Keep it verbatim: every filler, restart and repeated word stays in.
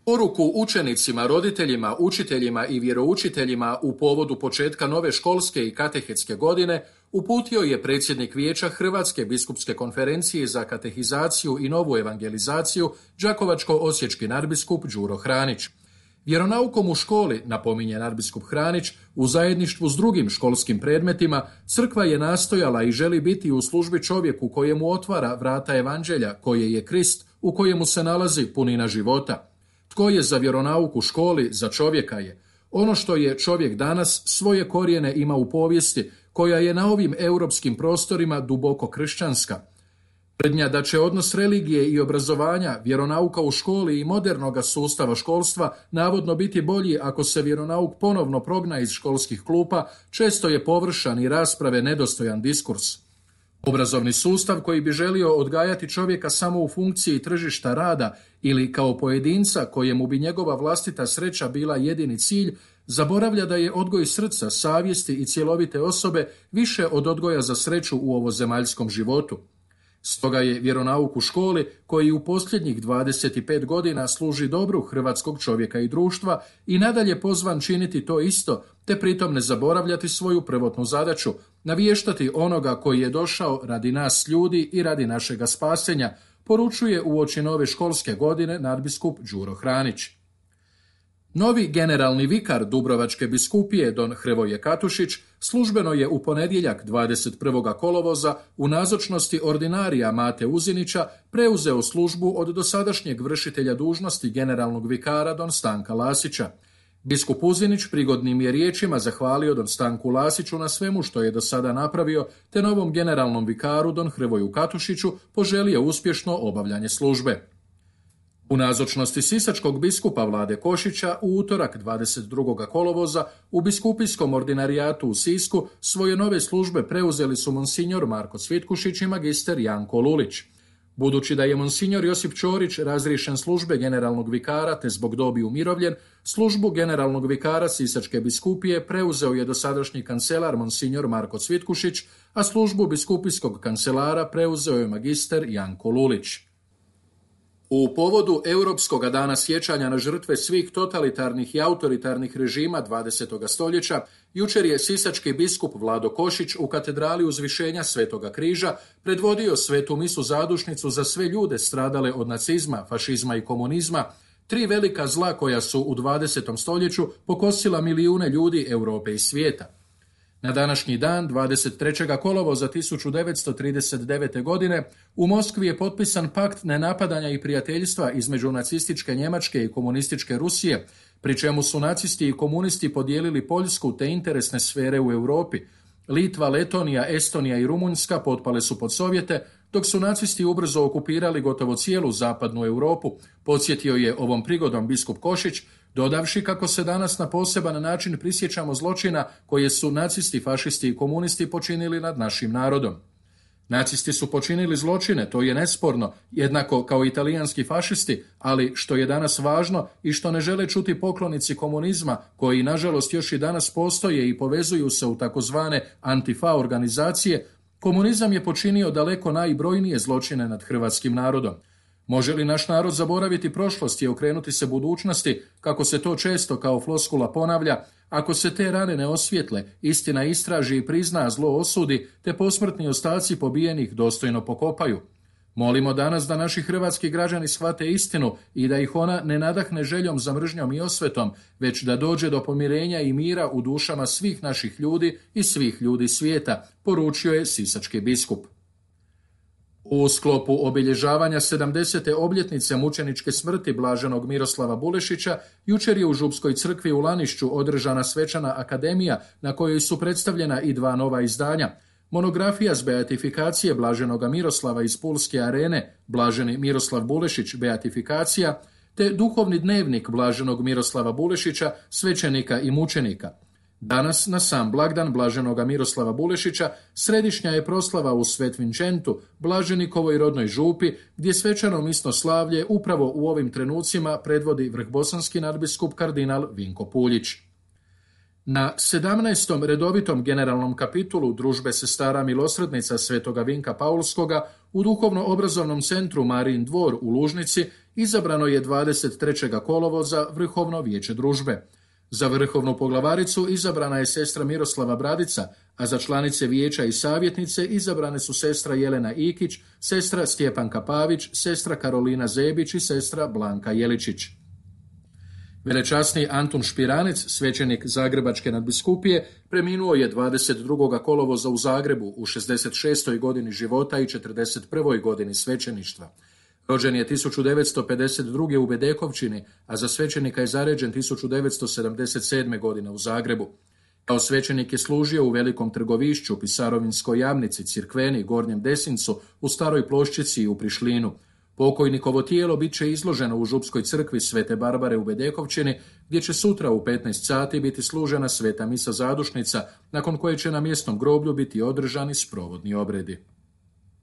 Poruku učenicima, roditeljima, učiteljima i vjeroučiteljima u povodu početka nove školske i katehetske godine uputio je predsjednik Vijeća Hrvatske biskupske konferencije za katehizaciju i novu evangelizaciju đakovačko-osječki nadbiskup Đuro Hranić. Vjeronaukom u školi, napominje nadbiskup Hranić, u zajedništvu s drugim školskim predmetima, crkva je nastojala i želi biti u službi čovjeku kojemu otvara vrata evanđelja, koje je Krist, u kojemu se nalazi punina života. Tko je za vjeronauk u školi, za čovjeka je. Ono što je čovjek danas svoje korijene ima u povijesti, koja je na ovim europskim prostorima duboko kršćanska. Tvrdnja da će odnos religije i obrazovanja, vjeronauka u školi i modernoga sustava školstva navodno biti bolji ako se vjeronauk ponovno progna iz školskih klupa, često je površan i rasprave nedostojan diskurs. Obrazovni sustav koji bi želio odgajati čovjeka samo u funkciji tržišta rada ili kao pojedinca kojemu bi njegova vlastita sreća bila jedini cilj, zaboravlja da je odgoj srca, savjesti i cjelovite osobe više od odgoja za sreću u ovozemaljskom životu. Stoga je vjeronauk u školi, koji u posljednjih dvadeset pet godina služi dobru hrvatskog čovjeka i društva, i nadalje pozvan činiti to isto, te pritom ne zaboravljati svoju prvotnu zadaću, naviještati onoga koji je došao radi nas ljudi i radi našega spasenja, poručuje uoči nove školske godine nadbiskup Đuro Hranić. Novi generalni vikar Dubrovačke biskupije don Hrvoje Katušić službeno je u ponedjeljak dvadeset prvog kolovoza u nazočnosti ordinarija Mate Uzinića preuzeo službu od dosadašnjeg vršitelja dužnosti generalnog vikara don Stanka Lasića. Biskup Uzinić prigodnim je riječima zahvalio don Stanku Lasiću na svemu što je do sada napravio, te novom generalnom vikaru don Hrvoju Katušiću poželio uspješno obavljanje službe. U nazočnosti sisačkog biskupa Vlade Košića u utorak dvadeset drugog kolovoza u biskupijskom ordinarijatu u Sisku svoje nove službe preuzeli su monsinjor Marko Cvitkušić i magister Janko Lulić. Budući da je monsinjor Josip Ćorić razriješen službe generalnog vikara te zbog dobi umirovljen, službu generalnog vikara Sisačke biskupije preuzeo je dosadašnji kancelar monsinjor Marko Cvitkušić, a službu biskupijskog kancelara preuzeo je magister Janko Lulić. U povodu Europskog dana sjećanja na žrtve svih totalitarnih i autoritarnih režima dvadesetog stoljeća, jučer je sisački biskup Vlado Košić u katedrali Uzvišenja Svetoga križa predvodio svetu misu zadušnicu za sve ljude stradale od nacizma, fašizma i komunizma, tri velika zla koja su u dvadesetom stoljeću pokosila milijune ljudi Europe i svijeta. Na današnji dan, dvadeset trećeg kolovoza tisuću devetsto trideset devete. godine, u Moskvi je potpisan pakt nenapadanja i prijateljstva između nacističke Njemačke i komunističke Rusije, pri čemu su nacisti i komunisti podijelili Poljsku te interesne sfere u Europi. Litva, Letonija, Estonija i Rumunjska potpale su pod Sovjete, dok su nacisti ubrzo okupirali gotovo cijelu zapadnu Europu, podsjetio je ovom prigodom biskup Košić, dodavši kako se danas na poseban način prisjećamo zločina koje su nacisti, fašisti i komunisti počinili nad našim narodom. Nacisti su počinili zločine, to je nesporno, jednako kao italijanski fašisti, ali što je danas važno i što ne žele čuti poklonici komunizma, koji nažalost još i danas postoje i povezuju se u takozvane antifa organizacije, komunizam je počinio daleko najbrojnije zločine nad hrvatskim narodom. Može li naš narod zaboraviti prošlost i okrenuti se budućnosti, kako se to često kao floskula ponavlja, ako se te rane ne osvijetle, istina istraži i prizna, zlo osudi, te posmrtni ostaci pobijenih dostojno pokopaju? Molimo danas da naši hrvatski građani shvate istinu i da ih ona ne nadahne željom za mržnjom i osvetom, već da dođe do pomirenja i mira u dušama svih naših ljudi i svih ljudi svijeta, poručio je sisački biskup. U sklopu obilježavanja sedamdesete obljetnice mučeničke smrti blaženog Miroslava Bulešića, jučer je u Župskoj crkvi u Lanišću održana svečana akademija na kojoj su predstavljena i dva nova izdanja. Monografija s beatifikacije blaženoga Miroslava iz Pulske arene, blaženi Miroslav Bulešić beatifikacija, te duhovni dnevnik blaženog Miroslava Bulešića, svećenika i mučenika. Danas, na sam blagdan blaženoga Miroslava Bulešića, središnja je proslava u Svet Vinčentu, blaženikovoj rodnoj župi, gdje svečano misno slavlje upravo u ovim trenucima predvodi vrhbosanski nadbiskup kardinal Vinko Puljić. Na sedamnaestom redovitom generalnom kapitulu Družbe sestara milosrdnica Svetoga Vinka Paulskoga u duhovno-obrazovnom centru Marijin dvor u Lužnici izabrano je dvadeset trećeg kolovoza Vrhovno vijeće družbe. Za vrhovnu poglavaricu izabrana je sestra Miroslava Bradica, a za članice vijeća i savjetnice izabrane su sestra Jelena Ikić, sestra Stjepanka Pavić, sestra Karolina Zebić i sestra Blanka Jeličić. Velečasni Antun Špiranec, svećenik Zagrebačke nadbiskupije, preminuo je dvadeset drugog kolovoza u Zagrebu u šezdeset šestoj godini života i četrdeset prvoj godini svećeništva. Rođen je tisuću devetsto pedeset druge u Bedekovčini, a za svećenika je zaređen tisuću devetsto sedamdeset sedme godine u Zagrebu. Kao svećenik je služio u Velikom Trgovišću, Pisarovinskoj Jamnici, Cirkveni, Gornjem Desincu, u Staroj Ploščici i u Prišlinu. Pokojnikovo tijelo bit će izloženo u Župskoj crkvi Svete Barbare u Bedekovčini, gdje će sutra u petnaest sati biti služena sveta misa zadušnica, nakon koje će na mjesnom groblju biti održani sprovodni obredi.